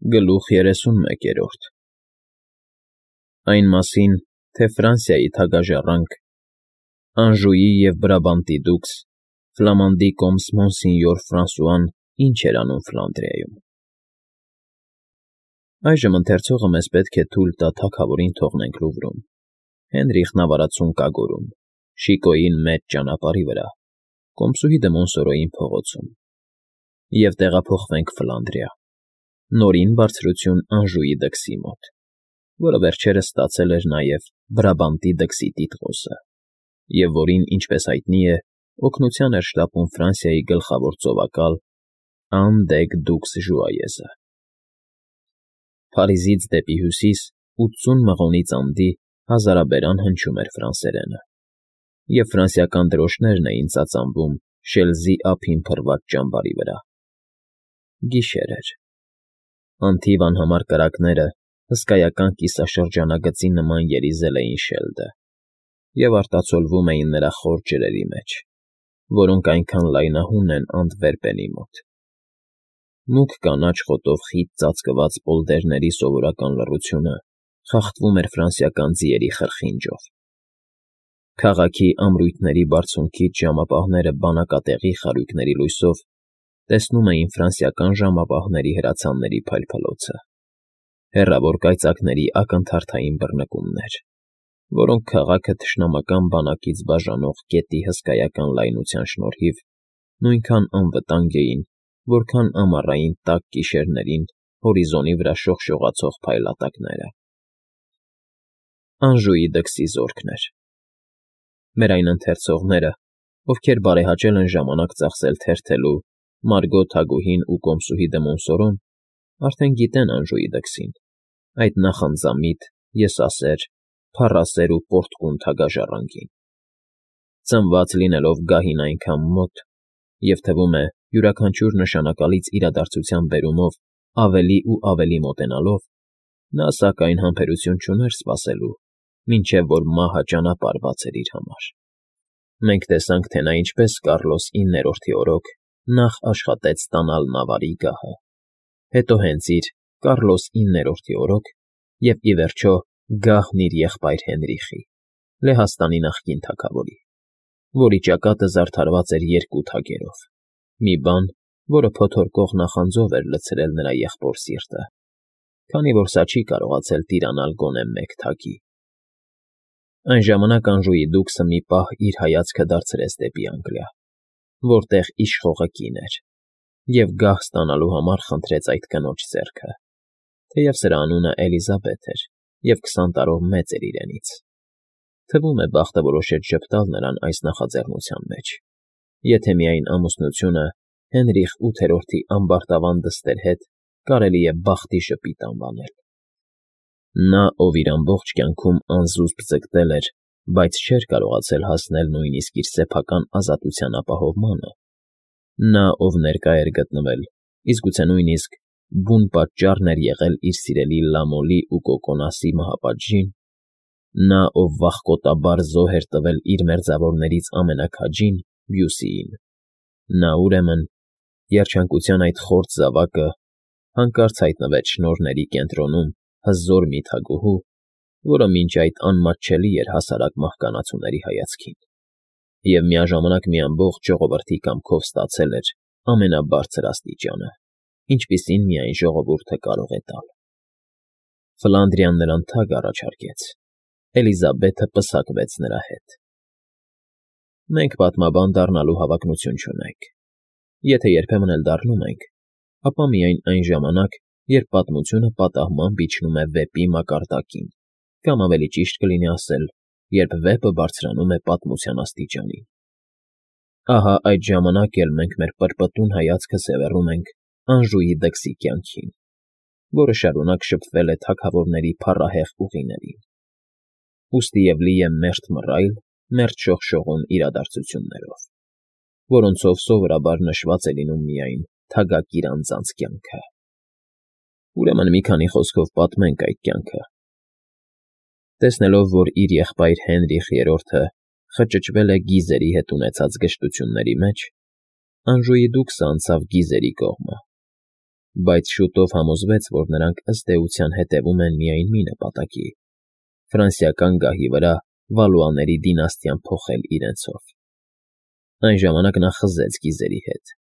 Գլուխ 31 Այն մասին, թե Ֆրանսիայի թագաժառանգ, Անժուի և Բրաբանտի դուքս, Ֆլամանդի կոմս Մոնսինյոր Ֆրանսուան ինչ էր անում Ֆլանդրիայում։ Այժմ ընթերցողը մեզ պետք է թույլ տա թագավորին թողնենք Լուվրում, Հենրիխն ավարածուն կագորում, Շիկոյին մեծ ճանապարհի վրա, կոմսուհի դը Մոնսորոյին փողոցում, և տեղափոխվենք Ֆլանդրիա, նորին բարձրություն Անժուի դքսի մոտ, որը վերջերս ստացել էր նաև Բրաբանտի դքսի տիտղոսը, և որին, ինչպես հայտնի է, օգնության էր շտապում Ֆրանսիայի գլխավոր ծովակալ Ան-դեգ֊դուքս Ժուայեզը։ Փարիզից դեպի հյուսիս 80 մղոնից անդի հազարաբերան հնչում էր ֆրանսերենը, և ֆրանսիական դրոշներն էին ծածանվում Շելզի ափին փռված ճամբարի վրա։ Գիշեր էր։ Անթիվ անհամար կրակները հսկայական կիսաշրջանագծի նման երիզել էին Շելդը և արտացոլվում էին նրա խոր ջրերի մեջ, որոնք այնքան լայնահուն են Անտվերպենի մոտ։ Մուգ կանաչ խոտով խիտ ծածկված պոլդերների սովորական լռությունը խախտվում էր ֆրանսիական ձիերի խրխինջով։ Քաղաքի ամրույթների բարձունքից ժամապահները բանակատեղի խարույկների լույսով տեսնում էին ֆրանսիական ժամապահների հրացանների փայլփլոցը, հեռավոր կայծակների ակնթարթային բռնկումներ, որոնք քաղաքը թշնամական բանակից բաժանող գետի հսկայական լայնության շնորհիվ նույնքան անվտանգ էին, որքան ամառային տաք գիշերներին հորիզոնի վրա շողշողացող փայլատակները։ Անժուի դքսի զորքն էր։ Մեր այն ընթերցողները, ովքեր բարեհաճել են ժամանակ ծախսել թերթելու Մարգո թագուհին ու կոմսուհի դը Մոնսորոն, արդեն գիտեն Անժուի դքսին, այդ նախանձամիտ, եսասեր, փառասեր ու պոռթկուն թագաժառանգին։ Ծնված լինելով գահին այնքան մոտ, և թվում է յուրաքանչյուր նշանակալից իրադարձության բերումով ավելի ու ավելի մոտենալով, նա, սակայն, համբերություն չուներ սպասելու, մինչև որ մահը ճանապարհ բացեր իր համար։ Մենք տեսանք, թե նա ինչպես Կառլոս IX-ի օրոք նախ աշխատեց ստանալ Նավարի գահը, հետո հենց իր Կառլոս IX-ի օրոք և, ի վերջո, գահն իր եղբայր Հենրիխի, Լեհաստանի նախկին թագավորի, որի ճակատը զարդարված էր երկու թագերով, մի բան, որը փոթորկող նախանձով էր լցրել նրա եղբոր սիրտը, քանի որ սա չի կարողացել տիրանալ գոնե մեկ թագի։ Այն ժամանակ Անժուի դուքսը մի պահ իր հայացքը դարձրեց դեպի Անգլիա, որտեղ իշխողը կին էր, և գահ ստանալու համար խնդրեց այդ կնոջ ձեռքը, թեև սրա անունը Էլիզաբեթ էր և 20 տարով մեծ էր իրենից։ Թվում է բախտը որոշեց ժպտալ նրան այս նախաձեռնության մեջ, եթե միայն ամուսնությունը Հենրիխ VIII-ի ամբարտավան դստեր հետ կարելի է բախտի ժպիտ անվանել։ Նա, ով իր ամբողջ կյանքում անզուսպ ձգտել էր, բայց չէր կարողացել հասնել նույնիսկ իր սեփական ազատության ապահովմանը, նա, ով ներկա էր գտնվել, իսկ գուցե նույնիսկ բուն պատճառն էր եղել իր սիրելի Լամոլի ու Կոկոնասի մահապատժին, նա, ով վախկոտաբար զոհ էր տվել իր մերձավորներից ամենաքաջին՝ Բյուսիին, նա, ուրեմն, երջանկության այդ խորթ զավակը, հանկարծ հայտնվեց շնորհների կենտրոնում հզոր մի թագուհու, որը մինչ այդ անմատչելի էր հասարակ մահկանացուների հայացքին, և միաժամանակ մի ամբողջ ժողովրդի կամքով ստացել էր ամենաբարձր աստիճանը, ինչպիսին միայն ժողովուրդը կարող է տալ։ Ֆլանդրիան նրան թագ առաջարկեց, Էլիզաբեթը պսակվեց նրա հետ։ Մենք պատմաբան դառնալու հավակնություն չունենք։ Եթե երբեմն էլ դառնում ենք, ապա միայն այն ժամանակ, երբ պատմությունը պատահմամբ իջնում է վեպի մակարդակին, կամ ավելի ճիշտ կլինի ասել, երբ վեպը բարձրանում է պատմության աստիճանին։ Ահա այդ ժամանակ էլ մենք մեր պրպտուն հայացքը սևեռում ենք Անժուի դքսի կյանքին, որը շարունակ շփվել է թագավորների փառահեղ ուղիներին, ուստիև լի է մերթ մռայլ, մերթ շողշողուն իրադարձություններով, որոնցով սովորաբար նշված է լինում միայն թագակիր անձանց կյանքը։ Ուրեմն մի քանի խոսքով պատմենք այդ կյանքը։ Տեսնելով, որ իր եղբայր Հենրիխ III-ը խճճվել է գիզերի հետ ունեցած գժտությունների մեջ, Անժուի դուքսը անցավ գիզերի կողմը, բայց շուտով համոզվեց, որ նրանք ըստ էության հետևում են միայն մի նպատակի՝ ֆրանսիական գահի վրա Վալուաների դինաստիան փոխել իրենցով։ Այն ժամանակ նա խզեց գիզերի հետ,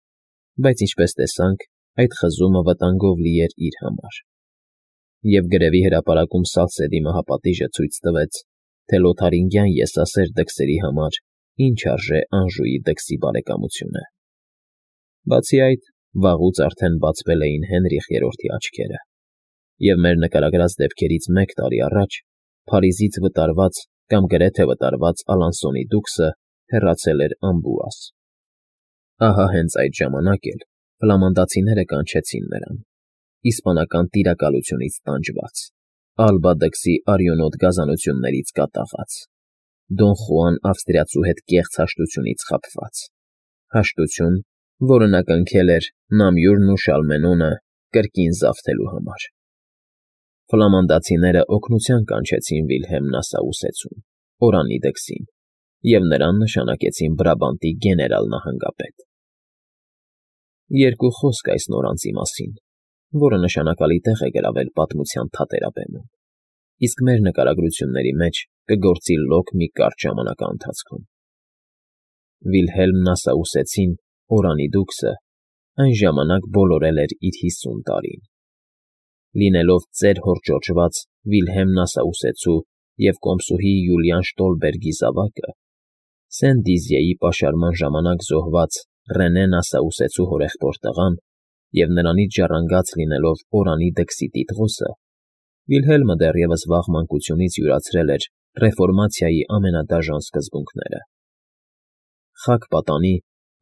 բայց ինչպես տեսանք, այդ խզումը վտանգով լի էր իր համար։ Եվ գրևի հրապարակում Սալսեդի մահապատիժը ցույց տվեց, թե լոթարինգյան եսասեր դքսերի համար ինչ արժե Անժուի դքսի բարեկամությունը։ Բացի այդ, վաղուց արդեն բացվել էին Հենրիխ III-ի աչքերը, և մեր նկարագրած դեպքերից 1 տարի առաջ Փարիզից վտարված կամ գրեթե վտարված Ալանսոնի դուքսը հեռացել էր Ամբուաս։ Ահա հենց այդ ժամանակ էլ ֆլամանդացիները կանչեցին նրան, իսպանական տիրակալությունից տանջված, Ալբա դքսի արյունոտ գազանություններից կատաղած, Դոն Խուան ավստրիացու հետ կեղծ հաշտությունից խաբված, հաշտություն, որը նա կնքել էր Նամյուրն ու Շալմենոնը կրկին զավթելու համար։ Ֆլամանդացիները օգնության կանչեցին Վիլհելմ Նասաուսեցուն, Օրանի դքսին, և նրան նշանակեցին Բրաբանտի գեներալ նահանգապետ։ Երկու խոսք այս նորանցի մասին, որը նշանակալի տեղ է գրավել պատմության թատերաբեմում, իսկ մեր նկարագրությունների մեջ կգործի լոկ մի կարճ ժամանակաընթացքում։ Վիլհելմ Նասաուսեցին, Օրանի դուքսը, այն ժամանակ բոլորել էր իր 50 տարին։ Լինելով ծեր հորճոճված Վիլհելմ Նասաուսեցու և կոմսուհի Յուլիան Շտոլբերգի զավակը, Սեն Դիզիեի պաշարման ժամանակ զոհված Ռենե Նասաուսեցու հորեղբոր տղան և նրանից ժառանգած լինելով Օրանի դքսի տիտղոսը, Վիլհելմը դեռևս վաղ մանկությունից յուրացրել էր ռեֆորմացիայի ամենադաժան սկզբունքները։ Խաք պատանի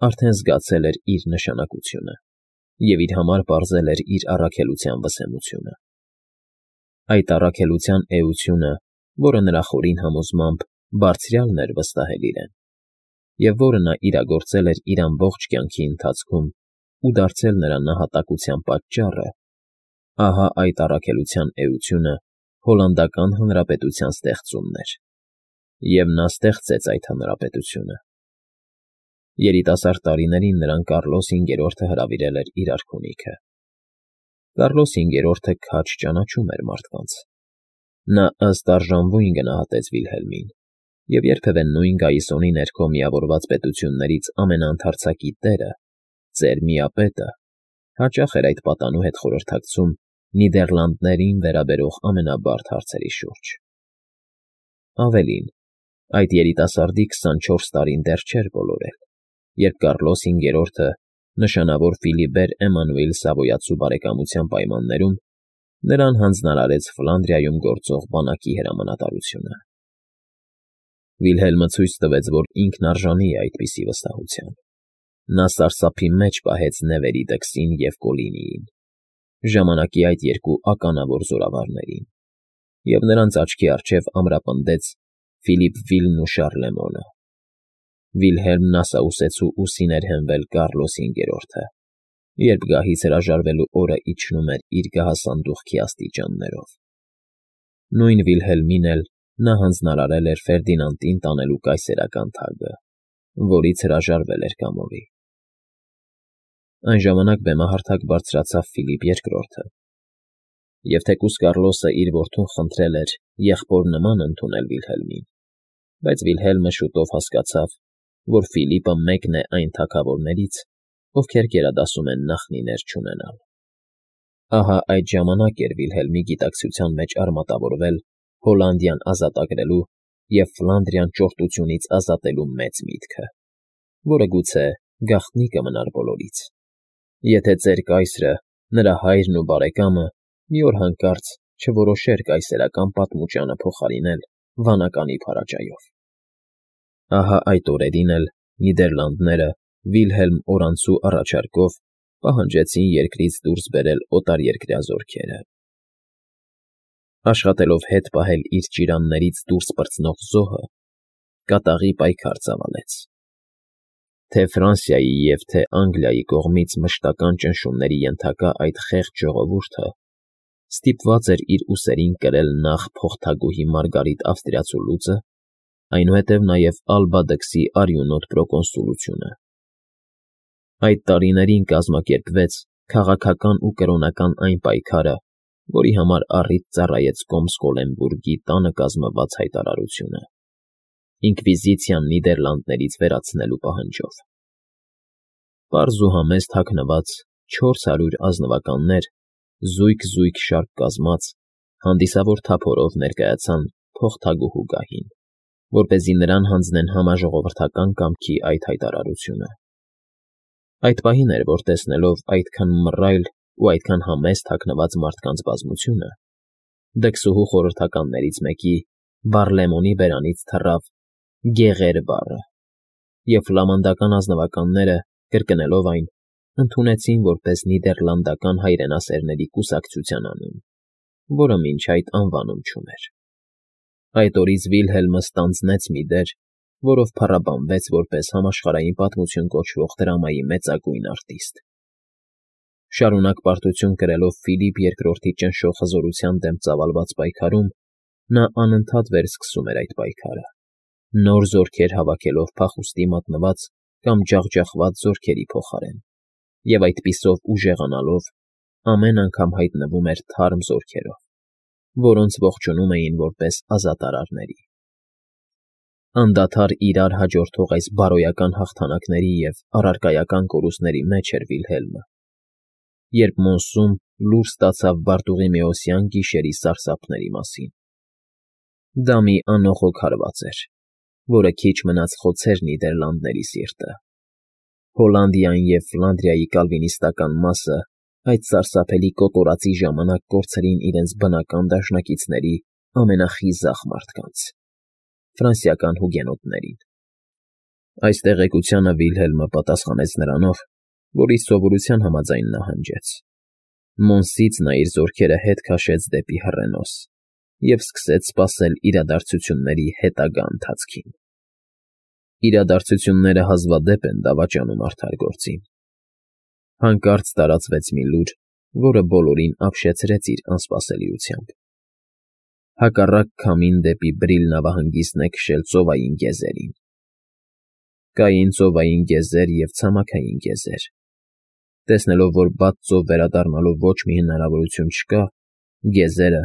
արդեն զգացել էր իր նշանակությունը և իր համար պարզել էր իր առաքելության վսեմությունը։ Այդ առաքելության էությունը, որը նրա խորին համոզմամբ բարձրյալն էր վստահել իրեն, և որը նա իրագործել էր իր ամբողջ կյանքի ընթացքում ու դարձել նրա նահատակության պատճառը, ահա այդ առաքելության էությունը Հոլանդական Հանրապետության ստեղծումն էր, և նա ստեղծեց այդ հանրապետությունը։ Երիտասարդ տարիներին նրան Կարլոս V-րդը հրավիրել էր իր արքունիքը։ Կարլոս V-րդը քաջ ճանաչում էր մարդկանց։ Նա ըստ արժանվույն գնահատեց Վիլհելմին, և երբևէ նույն գայիսոնի ներքո միավորված պետություններից ամենաընդարձակի տերը, ծեր միապետը, հաճախ էր այդ պատանու հետ խորհրդակցում Նիդերլանդներին վերաբերող ամենաբարդ հարցերի շուրջ։ Ավելին, այդ երիտասարդի 24 տարին դեռ չէր բոլորել, երբ Կարլոս V-րդը նշանավոր Ֆիլիբեր Էմանուել Սավոյացու բարեկամության պայմաններում նրան հանձնարարեց Ֆլանդրիայում գործող բանակի հրամանատարությունը։ Վիլհելմը ցույց տվեց, որ ինքն արժանի է այդպիսի վստահության։ Նա սարսափի մեջ պահեց Նևերի դքսին և Կոլինիին, ժամանակի այդ երկու ականավոր զորավարներին, և նրանց աչքի առջև ամրապնդեց Ֆիլիպ Վիլն ու Շարլեմոնը։ Վիլհելմ Նասաուսեցու ուսին էր հենվել Կարլոս V-րդը, երբ գահից հրաժարվելու օրը իջնում էր իր գահասանդուղքի աստիճաններով։ Նույն Վիլհելմին էլ նա հանձնարարել էր Ֆերդինանդին տանելու կայսերական թագը, որից հրաժարվել էր կամովի։ Այն ժամանակ բեմահարթակ բարձրացավ Ֆիլիպ II-ը, և թեկուզ Կարլոսը իր որդուն խնդրել էր եղբոր նման ընդունել Վիլհելմին, բայց Վիլհելմը շուտով հասկացավ, որ Ֆիլիպը մեկն է այն թագավորներից, ովքեր գերադասում են նախնիներ չունենալ։ Ահա այդ ժամանակ էր Վիլհելմի գիտակցության մեջ արմատավորվել Հոլանդիան ազատագրելու և Ֆլանդրիան ճորտությունից ազատելու մեծ միտքը, որը գուցե գաղտնի կմնար բոլորից, եթե ծեր կայսրը, նրա հայրն ու բարեկամը մի օր հանկարծ չորոշեր կայսերական պատմուճանը փոխարինել վանականի փարաճայով։ Ահա այդ օրերին էլ Նիդերլանդները Վիլհելմ Օրանցու առաջարկով պահանջեցին երկրից դուրս բերել օտարերկրյա զորքերը։ Աշխատելով հետ պահել իր ճիրաններից դուրս պրծնող զոհը, կատաղի պայքար ծավալեց։ Թե Ֆրանսիայի և թե Անգլիայի կողմից մշտական ճնշումների ենթակա այդ խեղճ ժողովուրդը ստիպված էր իր ուսերին կրել նախ փոխթագուհի Մարգարիտ Ավստրիացու լուծը, այնուհետև նաև Ալբա դքսի արյունոտ պրոկոնսուլությունը։ Այդ տարիներին կազմակերպվեց քաղաքական ու կրոնական այն պայքարը, որի համար առիթ ծառայեց Կոմսկոլենբուրգի տանը կազմված հայտարարությունը, ինկվիզիցիան Նիդերլանդներից վերացնելու պահանջով։ Պարզ ու համեստ հագնված 400 ազնվականներ, զույգ շարք կազմած, հանդիսավոր թափորով ներկայացան փոխթագուհու գահին, որպեսզի նրան հանձնեն համաժողովրդական կամքի այդ հայտարարությունը։ Այդ պահին էր, որ տեսնելով այդքան մռայլ ու այդքան համեստ հագնված մարդկանց բազմությունը, դքսուհու խորհրդականներից մեկի Բարլեմոնի բերանից թռավ «գեղեր» բառը, և ֆլամանդական ազնվականները, կրկնելով այն, ընդունեցին որպես նիդերլանդական հայրենասերների կուսակցության անուն, որը մինչ այդ անվանում չուներ։ Այդ օրից Վիլհելմը ստանձնեց մի դեր, որով փառաբանվեց որպես համաշխարհային պատմություն կոչվող դրամայի մեծագույն արտիստ։ Շարունակ պարտություն կրելով Ֆիլիպ II-ի ճնշող հզորության դեմ ծավալված պայքարում, նա անընդհատ վերսկսում էր այդ պայքարը, նոր զորքեր հավաքելով փախուստի մատնված կամ ջախջախված զորքերի փոխարեն, և այդպիսով ուժեղանալով ամեն անգամ հայտնվում էր թարմ զորքերով, որոնց ողջունում էին որպես ազատարարների։ Անդադար իրար հաջորդող այս բարոյական հաղթանակների և առարկայական կորուստների մեջ էր Վիլհելմը, երբ Մոնսում լուր ստացավ Բարտուղիմեոսյան գիշերի սարսափների մասին։ Դա մի անողոք հարված էր, որը քիչ մնաց խոցեր Նիդերլանդների սիրտը։ Հոլանդիային և Ֆլանդրիայի կալվինիստական մասը այդ սարսափելի կոտորածի ժամանակ կորցրին իրենց բնական դաշնակիցների ամենախիզախ մարդկանց՝ ֆրանսիական հուգենոտներին։ Այս տեղեկությանը Վիլհելմը պատասխանեց նրանով, որ իր սովորության համաձայն նահանջեց։ Մոնսից նա իր զորքերը հետ քաշեց դեպի Հռենոս և սկսեց սպասել իրադարձությունների հետագա ընթացքին։ Իրադարձությունները հազվադեպ են դավաճանում արդար գործին։ Հանկարծ տարածվեց մի լուր, որը բոլորին ապշեցրեց իր անսպասելիությամբ։ Հակառակ քամին դեպի Բրիլ նավահանգիստն է քշել ծովային գեզերին։ Կային ծովային գեզեր և ցամաքային գեզեր։ Տեսնելով, որ բաց ծով վերադառնալու ոչ մի հնարավորություն չկա, գեզերը,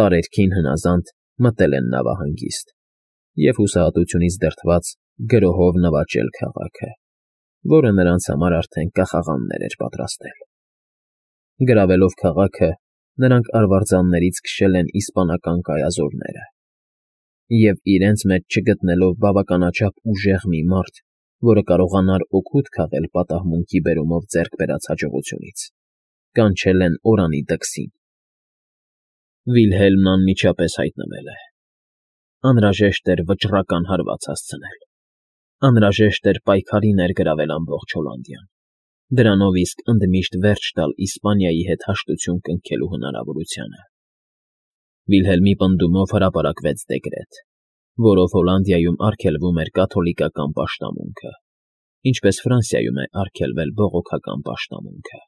տարերքին հնազանդ, մտել են նավահանգիստ և հուսահատությունից դրդված գրոհով նվաճել քաղաքը, որը նրանց համար արդեն կախաղաններ էր պատրաստել։ Գրավելով քաղաքը, նրանք արվարձաններից քշել են իսպանական կայազորները, և իրենց մեջ չգտնելով բավականաչափ ուժեղ մի մարդ, որը կարողանար օգուտ քաղել պատահմունքի բերումով ձեռք բերած հաջողությունից, կանչել են օրանի դքսին։ Վիլհելմն անմիջապես հայտնվել է։ Անհրաժեշտ էր վճռական հարված հասցնել։ Անհրաժեշտ էր պայքարի ներգրավել ամբողջ Հոլանդիան, դրանով իսկ ընդմիշտ վերջ տալ Իսպանիայի հետ հաշտություն կնքելու հնարավորությանը։ Վիլհելմի պնդումով հրապարակվեց դեկրետ, որով Հոլանդիայում արգելվում էր կաթոլիկական պաշտամունքը, ինչպես Ֆրանսիայում է արգելվել բողոքական պաշտամունքը։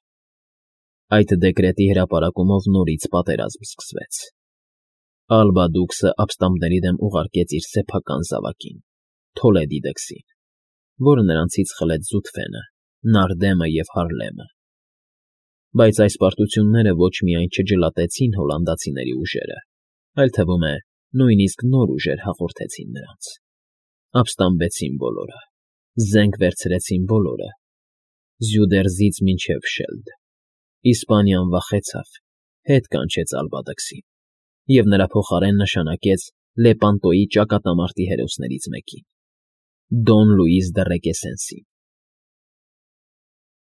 Այդ դեկրետի հրապարակումով նորից պատերազմ սկսվեց։ Ալբա դուքսը ապստամբների դեմ ուղարկեց իր սեփական զավակին՝ Թոլեդի դքսին, որը նրանցից խլեց Զուտֆենը, Նարդեմը և Հարլեմը։ Բայց այս պարտությունները ոչ միայն չջլատեցին հոլանդացիների ուժերը, այլ թվում է նույնիսկ նոր ուժեր հաղորդեցին նրանց։ Ապստամբեցին բոլորը, զենք վերցրեցին բոլորը, Զյուդերզից մինչև Շելդ։ Իսպանիան վախեցավ, հետ կանչեց Ալբա դքսին և նրա փոխարեն նշանակեց Լեպանտոյի ճակատամարտի հերոսներից մեկին՝ Դոն Լուիս դը Ռեկեսենսին։